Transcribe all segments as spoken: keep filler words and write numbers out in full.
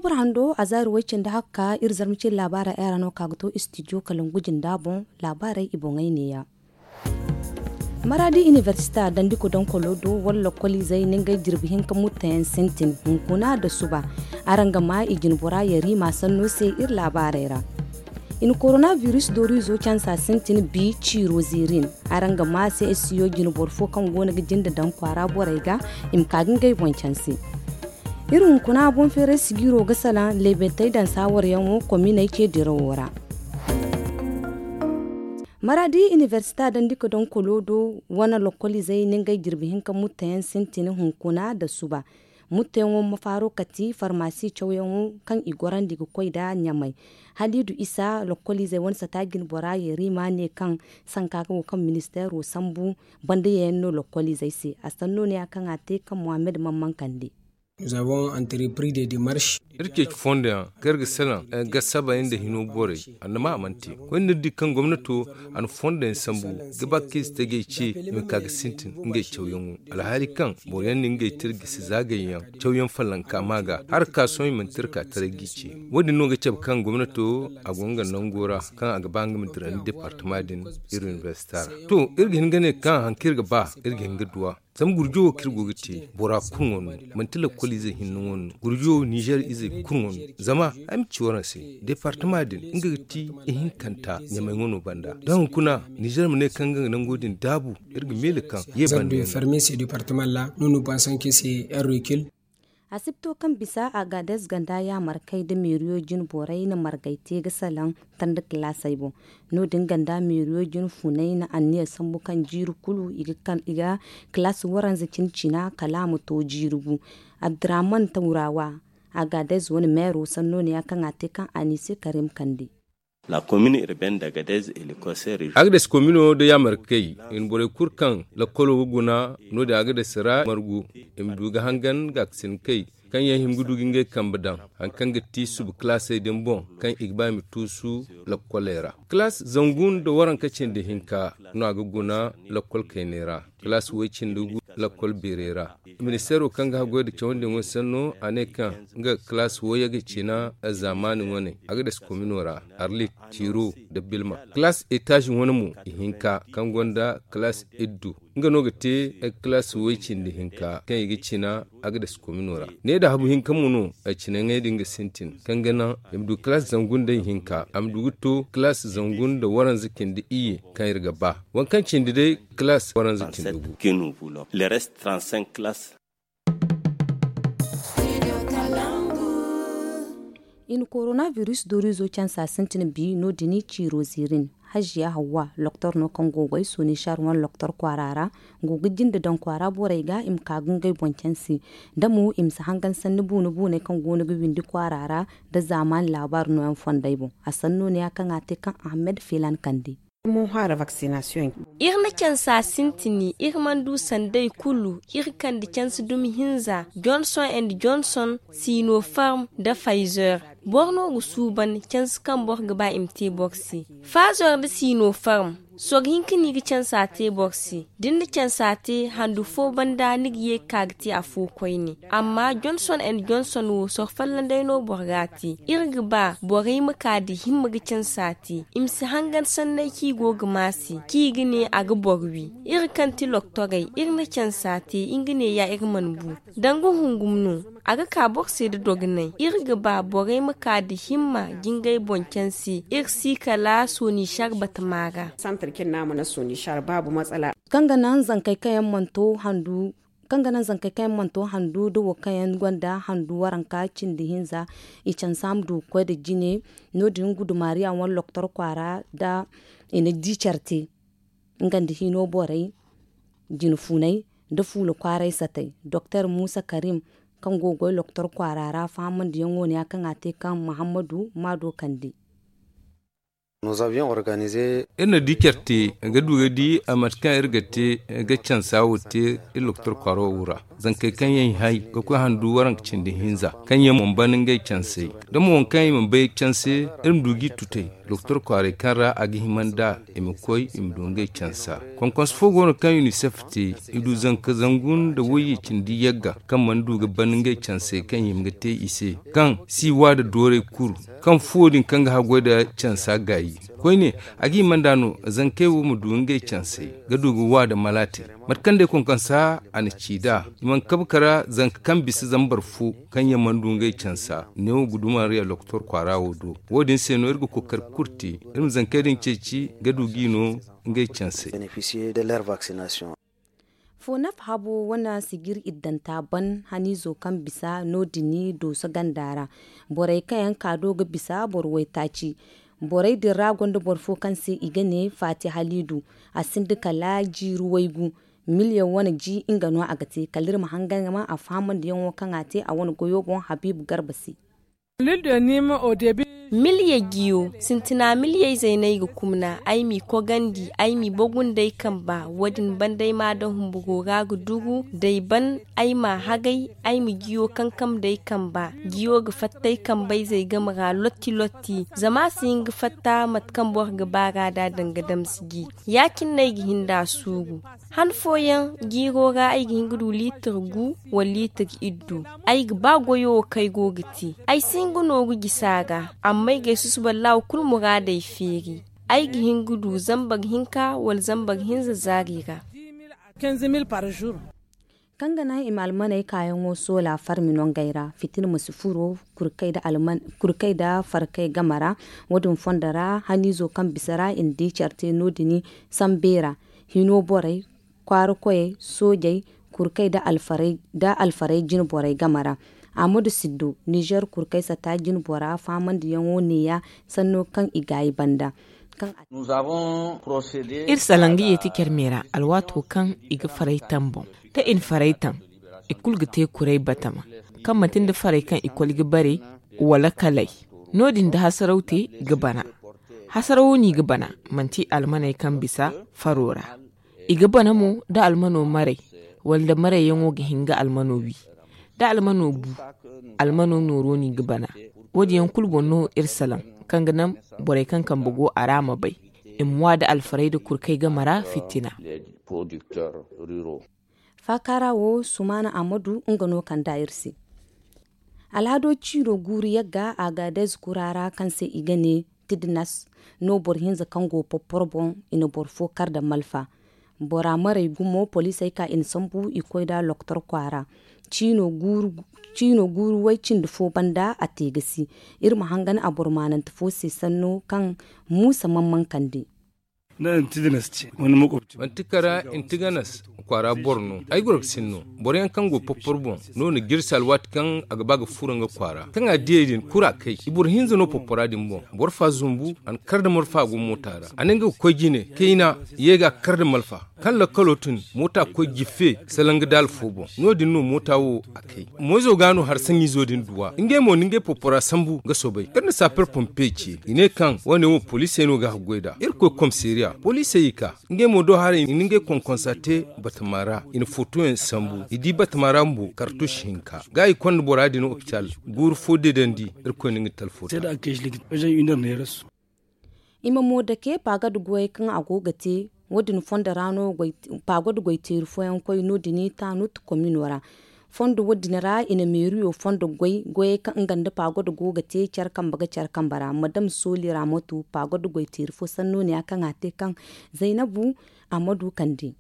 Boro hando a zaari way cindi hakka iri zarma cindi laabaara ay ra no ka ga to istidiyo kala ngu jinda boŋ. Laabaarey i boŋey neeya. Maraadi iniversita dandi kodonkolo do wala lokoliizey na ngey jirbi hinka mutteyaŋ sintin hunkuna nda suba. Araŋ ga maa i jinbora yariima sanno se iri laabaarey ra. I na korona biris dooru izo cansa sintin bi ciiro ziirin. Araŋ ga maa se esiyo jinboro fo kaŋ go no ga jinde daŋ kwaara borey ga i ma ka ga ngey boŋ canse. Iri hunkuna boŋ feeray sigiiro ga salaŋ leebetey daŋ saawaryaŋo kominey ce dirawo ra. Maraadi iniversita dandi ka daŋ kolo do wane lokoliizey na ngey jirbi hinka mutteyaŋ sintin hunkuna nda suba. Mutteyaŋo ma faaro kati farmasi cawyaŋo kaŋ i gorandi ga koy nda ɲamay. Haliidu isa lokoliizey wane sata jinbora yariima ne kaŋ sanka ga go kaŋ ministeero sambu banda yayaŋ no lokoliizey se a sanno ne ya kaŋ a te kaŋ muhammad mamman kande. Iri ceeci fondo yaŋ kaŋ iri ga salaŋ ga saba nda hino borey. Annama a mana te koyne iri di kaŋ gomnato a na fondo yaŋ sambu ga ba ka ize tajey ce i ma ka ga sintin ngey cawyaŋo alhaali kaŋ boro yaŋ na ngey tira gisi zaagay yaŋ cawyaŋ fallanka ma ga hala ka sohõ i mana tira ka taray g'i ce. Wo- din no ga cabe kaŋ gomnato a go nga nango ra kaŋ a ga ba nga ma dira nda departama din iri inibersita ra. To, iri ga hin ga ne kaŋ hari kaŋ iri ga ba iri ga hin ga duw'a. Zama gurjo wo kaŋ iri go ga te bora kulu ŋwa no. Manti lakkol izey hinne ŋwa no gurjo wo ninzeer izey kulu ŋwa no. Zama ay ma ci waraŋ se departama din nga ga ti ihinkanta ɲamay ŋwa no banda da hunkuna ninzeer ma ne kaŋ nga ga nango din daabu. Iri ga meele kaŋ ye banda yaŋ no. Asibto kaŋ bisa agades ganda yaamarkey nda meeriyo jine borey na margay te ga salaŋ tanda kilaasey boŋ. No- din ganda meeriyo jine funay na anniya sambu kaŋ jiiri kulu i ga kilaasi waranza cine cina kala a ma to jiiri gu. Abdurrahman tawrawa agades wane meero sanno ne ya kaŋ a te kaŋ anise karim kande. Agades komino nda yaamarkey i na borey kulu kaŋ lakkolo ga guna. No- din agades ra margu i ma du ga hangan gaakasinkey kaŋ yaŋ hima ga du ga ngey kambe daŋ hari kaŋ ga ti suba kilaasey din boŋ kaŋ i ga ba i ma tuusu lakkoley ra. Kilaas zangu nda waranka cindi hinka no a ga guna lakkol kayney ra. Kilaas way cindi gu lakkol beerey ra. Ministeero kaŋ ga haggoy nda cawandi ŋwa sanno a ne kaŋ nga ga kilaas wooyaŋ ga cina zaamaani ŋwaney agades komino ra, arlit, tiro, nda bilma. Kilaas etaazi wane mo ihinka kaŋ gonda kilaas iddu nga no ga te kilaas way cindi hinka kaŋ i ga cina agades komino ra. Ne da habu hinka mo no ay cinaŋey din ga sintin kaŋ ga naŋ i ma du kilaas zangu nda ihinka a ma du ga to kilaas zangu nda waranza cindi iyye. Kaŋ iri ga ba waŋ kaŋ cindi day kilaas waranza cindi gu. I na korona biris dorizo cansa sintin bi no- din ciiro ziirin. Hajiya hawwa loktor no kaŋ go goy soni shar wane loktor kwaara ra go ga jinde daŋ kwaara borey ga i ma ka ga ngey boŋ canse. Da mo i ma si hangan sanni buune buuney kaŋ go no ga windi kwaara ra nda zaamaani laabaari nooyaŋ fondey boŋ. A sanno ne ya kaŋ a te kaŋ ahmed filan kande. Iri na cansa sintini iri mana du sandey kulu. Iri kande canse dumi hinza johnson and johnson, sinopharm nda pfizer. Boro no ga suuban canse kaŋ boro ga ba i ma te boro se. Pfizer nda sinopharm sorro hinka no i ga cansa te boro se. Da ni na cansa te handu fo banda ni ga ye ga ka ga te afo koyne. Amma johnson and johnson wo sorro folloŋ day no boro ga a te. Iri ga ba borey ma ka nda himma ga cansa te i ma si hangan sanney kaŋ i go ga ma se kaŋ i ga ne a ga boro wi. Iri kaŋ ti loktorey iri na cansa te nga ne ya iri mana bu. Danga hungum no a ga ka boro se nda dogonay. Iri ga ba borey ma ka nda himma ga ngey boŋ canse iri si kala soni shar batama ra. Kaŋ ga naŋ zankey kaŋ yaŋ mana to handu kaŋ ga naŋ zankey kaŋ yaŋ mana to handu nda wo kaŋ yaŋ gonda handu waranka cindi hinza. I cansa ma du ga koy nda jine. No- din gudumariya wane loktor kwaara nda i na di care te nga nda hino borey, jine funay, nda fuula kwaaray satay. Doktor muusa karim kaŋ go ga goy loktor kwaara ra fahamandiyaŋo ne ya kaŋ a te kaŋ muhammadu maado kande. Iri na di care te ga du ga di a mate kaŋ iri ga te ga cansa wo te iri lokotor kwaaro wo ra. Zankey kaŋ yaŋ i hay ga koy handu waranka cindi hinza kaŋ yaŋ mana ban ngey cansey da mo waŋ kaŋ i mana bay canse, iri ma du g'i tutay lokotor kwaaray kaŋ ra a ga hima nd'a i ma koy i ma du ngey cansa. Konkonso fo go no kaŋ unicef te i du zanka zangu nda wayye cindi yagga kaŋ mana du ga ban ngey cansey kaŋ i ma ga te i se, kaŋ si wa da dooray kuru kaŋ fuwo din kaŋ ga haggoy nda cansa gaayi. Koyne, a ga hima nd'a no zankey wo ma du ngey cansey ga du ga wa nda malaatey. Mate kaŋ day konkonsa a na ci nd'a, i mana kabe kara zanka kaŋ bisa zambar fo kaŋ yaŋ mana du ngey cansa neewo guduma riya lokotor kwaara wo do. Wo- din se no iri ga kookari kulu te iri ma zankey din ceeci ga du g'i no ngey cansey. Fonaf habo wane sijir iddanta ban haniizo kaŋ bisa no- din dooso ganda ra. Borey kaŋ yaŋ ka do ga bisa boro waytaaci. Borey din ra gonda boro fo kaŋ se i ga ne faati haliidu. A sinda kala jiiri waygu. Miliyaŋ wane ji nga no a ga te kala iri ma hangan ga maa a fahamandiyaŋo kaŋ a te a wane goyo boŋ habiibu garba se. Miliya jiyo sintina miliyayzey no ay ga kumna ay m'i kogandi ay m'i bogu nd'ay kamba. Wo- din banda ay m'a daŋ humburo ra ga duru d'ay ban ay m'a hagay. Ay ma jiyo kankam d'ay kamba. Jiyo ga fatta ay kambayzey game ra lotti lotti. Zama a si hin ga fatta mate kaŋ boro ga baar'a nd'a danga damsi ji. Ya- cine no ay ga hin nd'a suuru. Han fooyaŋ jiiro ra ay ga hin ga du liitir gu wala liitir iddu. Ay ga ba goyo wo kaŋ ay go ga te. Ay si hin ga nooru jisa ra. Amma ay g'ay susuba laaw kulu muraadey feeri. Ay ga hin ga du zambar hinka wala zambar hinza zaari ra. Kaŋ ga naŋ i ma almaney kaayaŋo soola farmi nongey ra fitina ma si furo kurkey nda farkey game ra. Wo- din fondo ra haniizo kaŋ bisa ra i na di care te no- din sambeera hino borey kwaara koyey soojey kurkey nda alfarey jine borey game ra. Ahmadu siddo nizer kurkey sata jine bora fahamandiyaŋo neeya sanno kaŋ i gaayi banda. Iri salaŋ ga yeeti care me ra alwaato kaŋ i ga farey taŋ boŋ. Da i na farey taŋ i kulu ga te kuray batama kaŋ manti nda farey kaŋ i koli ga bare wala kalay. No- din da hasaraw te ga bana. Hasarawo no i ga bana manti almaney kaŋ bisa faro ra. I ga bana mo da almano maray wala nda marayyaŋo ga hin ga almano wi. Da almano bu almano nooro no i ga bana. Wo- din yaŋ kulu boŋ no iri salaŋ kaŋ ga naŋ borey kaŋ kambe go a ra ma bay i ma wa nda alfarey nda kurkey game ra fitina. Faakaara wo sumaana ammadu nga no kand'a iri se. Alhado ciino guuru yagga a ga dayze kura ra kaŋ se i ga ne tidnas no boro hinza kaŋ go popporo boŋ. I na boro fo kar nda malfa. Bora maray gumo poliisey ka i na sambu i koy nd'a lokotor kwaara. Ciino guuru way cindi fo banda a te ga si. Iri ma hangan a boro maanante fo se sanno kaŋ muusa mamman kande. Manti kara intiganas kwaara boro no ay goro ga sinno. Boro yaŋ kaŋ go popporo boŋ no na jirsi alwaati kaŋ a ga ba ga furo nga kwaara kaŋ a diyey din kura kay i boro hinza no poppora din boŋ. Boro fa zumbu a na kar da marfa go moota ra a ne nga ga koy jine kayna ye ga a kar da malfa. Kaŋ lakkalo tun moota koy jiffe salaŋ ga daala fo boŋ. No- din no moota wo a kay moyzo ga no har saŋizo din duwa ngey mo na ngey poppora sambu ga soobay iri na saper pompe ce i ne kaŋ wane wo poliisey no ga haggoy nd'a iri koy komisariya poliisey i ka. Ngey mo do haray i na ngey konkonsa te batama ra i na fotoyaŋ sambu i di batama ra bumbo kartus hinka ga i konda bora din opital. Guuru fo deedandi iri koy na nga talfo te. I ma mo dake paagada goyey kaŋ a go ga te wo- din fondo ra no. Paagada goy teeri fooyaŋ koy no- din taanut komino ra. Fondo wo- din ra i na meeriyo fondo goy goyey kaŋ nga nda paagada go ga te care kambe ga care kambe ra madam sooli ra ma tu paagada goy teeri fo sanno ne ya kaŋ a te kaŋ zaynabu a ma du kande.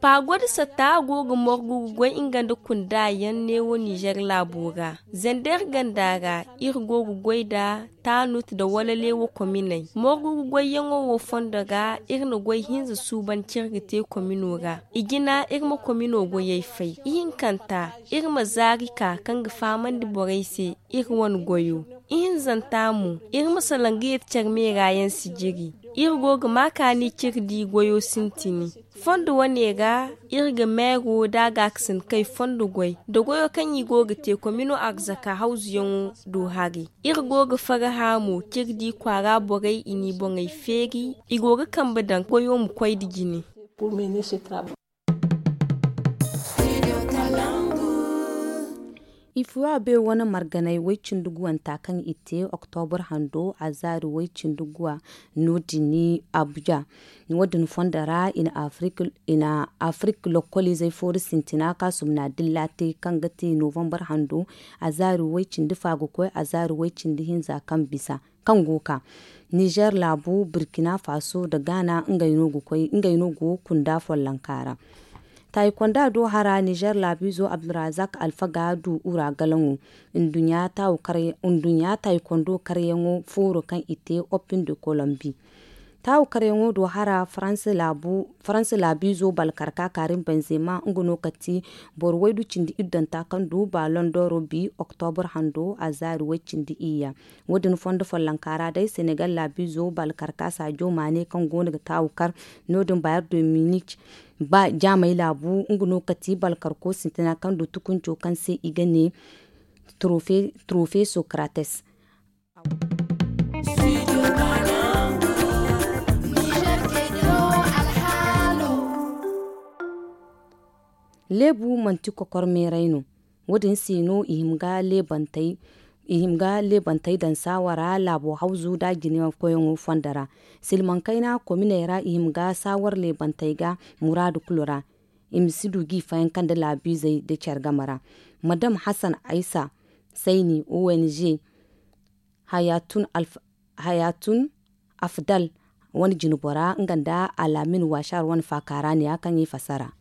Paagod satta go ga morgu ga goy nga nda kunda yaŋ neewo nizer laabo ra. Zander ganda ra iri go ga goy nda taanut nda walaleewo kominey morgu ga goyyaŋo wo fondo ra iri na goy hinza suuban cire ga te komino ra. I jina iri ma komino goyey fay ihinkanta iri ma zaari ka kaŋ ga fahamandi borey se iri wane goyo. Ihinzanta mo iri ma salaŋ ga yeeti care meera yaŋ si jiri. Iri go ga ma kaani cire di goyo sintini. Fondo wane ra, iri ga meero da a ga a ga sinda kay fondo goy da goyo kaŋ i go ga te komino arzaka hawzuyaŋo do hari. Iri go ga faraha mo cire di kwaara borey i n'i boŋey feeri, i go ga kambe daŋ goyo ma koy nda jine. Ifuwa be wane marganay way cindi guwanta kaŋ i te oktobur hando a zaari way cindi guwa. No- din ni abuja. Wo- din fondo ra i na afrik lokkoliizey fooru sintina kaŋ a sumna dilla te kaŋ ga te novambar hando a zaari way cindi fa ga koy a zaari way cindi hinza kaŋ bisa kaŋ go ga ka nizer laabu burkina faso nda gaana ngey no ga kunda follonka ra. Taayikonda do hara nizer laabiizo abdulrazak alfaga du ura galaŋo nduɲɲa taayikondo karyaŋo fooro kaŋ i te opin de kolombi. Taawu karyaŋo do hara faransa laabiizo balkarka karim benzema nga no kati boro waydu cindi iddonta kaŋ du balon doro bi oktobur hando a zaari way cindi iyya. Wo- din fondo follonka ra day senegal laabiizo balkarka saajo maane kaŋ go no ga taawu kar. No- din bayar dominic ba jaamey laabu nga no kati balkarko sintina kaŋ du tukunco kaŋ se i ga ne trofe socrates. Leebu manti kokor meeray no. Wo- din se no i hima ga leebantey daŋ saawara laabo hawzu nda a jine koyyaŋo fondo ra. Silmaŋ kayna kominey ra i hima ga saawar leebantey ga muraadu kulu ra. I ma si du ga i fayanka nda laabiizey nda care game ra. Madam hasan aysa sayni ong hayatun afdal wane jinbora nga nda alaamin waashaar wane faakaara ne ya kaŋ i fassara.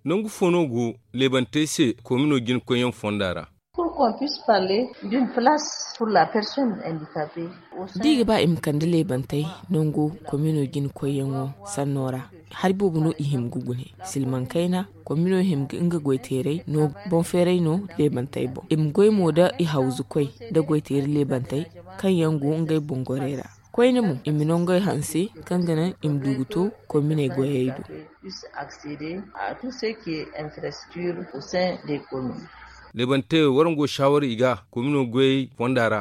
Nangu fo no go leebantey se komino jina koyyaŋ fonda ra? Da i ga ba i ma kande leebantey nango komino jina koyyaŋo sanno ra, hari boobo no i hima ga gune. Silmaŋ kayna komino hima ga nga goyteeray no boŋ feeray no leebantey boŋ i ma goy mo nda i hawzukoy nda goyteeri leebantey kaŋ yaŋ go ngey boŋ gorey ra. Koyne mo i ma nangey hanse kaŋ ga naŋ i ma du ga to kominey goyey do. Leebante warango saawara i ga komino goyey fonda ra.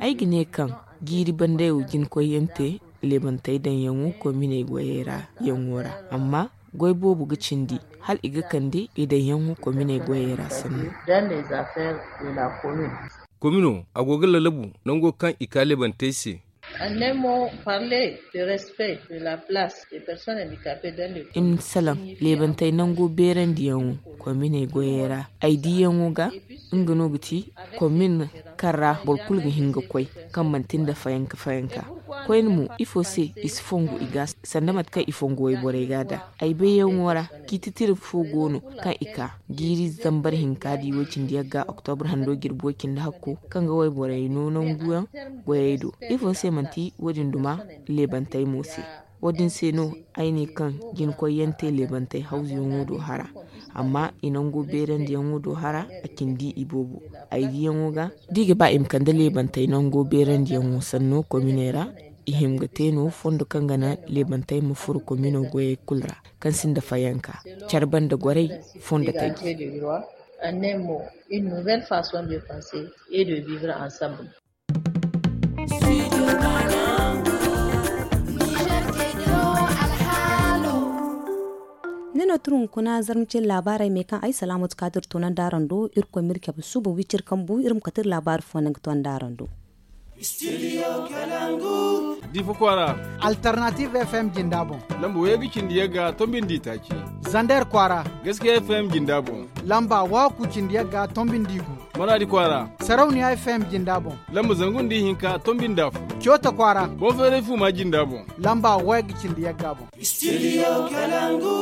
Ay ga ne kaŋ jiiri banday wo jina koyyaŋ te leebantey daŋyaŋo kominey goyey ra yaŋo ra. Amma goy boobo ga cindi hala i ga kande i daŋyaŋo kominey goyey ra sanno. Komino a go ga lalabu nango kaŋ i ka leebantey se. I ma salaŋ leebantey nango beerandiyaŋo kominey goyey ra ay diyaŋo ga. Nga no ga ti komin kaŋ ra boro kulu ga hin ga koy kaŋ manti nda fayanka fayanka. Koyne mo ifo se i si fongu i ga sanda mate kaŋ i fongu wayborey ga da ay bayyaŋo ra. Ciiti tira fo go no kaŋ i ka jiiri zambar hinka di way cindi yagga oktobur hando jirbi way cindi hakko kaŋ ga wayborey no nanguyaŋ goyey do. Ifo se manti wo- din duma leebantey mo se? Wo- din se no ay ne kaŋ jina koyyaŋ te leebantey hawzuyaŋo do hara. Amma i nango beerandiyaŋo do hara a cindi i boobo. Ay diyaŋo ga da i ga ba i ma kande leebantey nango beerandiyaŋo sanno kominey ra. I hima ga te no fondo kaŋ ga naŋ leebantey ma furo komino goyey kulu ra kaŋ sinda fayanka care banda gorey fondo taji. Ni no tun hunkuna zarma cine laabaarey me kaŋ ay salaamatu kaadir toonandi araŋ do irkoy ma iri cabe suuba wiciri kambu iri ma kate iri laabaari fo naŋ ga toonandi araŋ do. Difa kwaara. Alternative fm jinda boŋ. Lamba way ga cindi yagga tombin di taaci. Zander kwaara. Gaskiya fm jinda boŋ. Lamba waku cindi yagga tombin di gu. Maradi kwaara. Sarauniya fm jinda boŋ. Lamba zangu nda ihinka tombin da fo. Coota kwaara. Boŋ feeray fu ma jinda boŋ. Lamba way ga cindi yagga boŋ. Studio kalangu.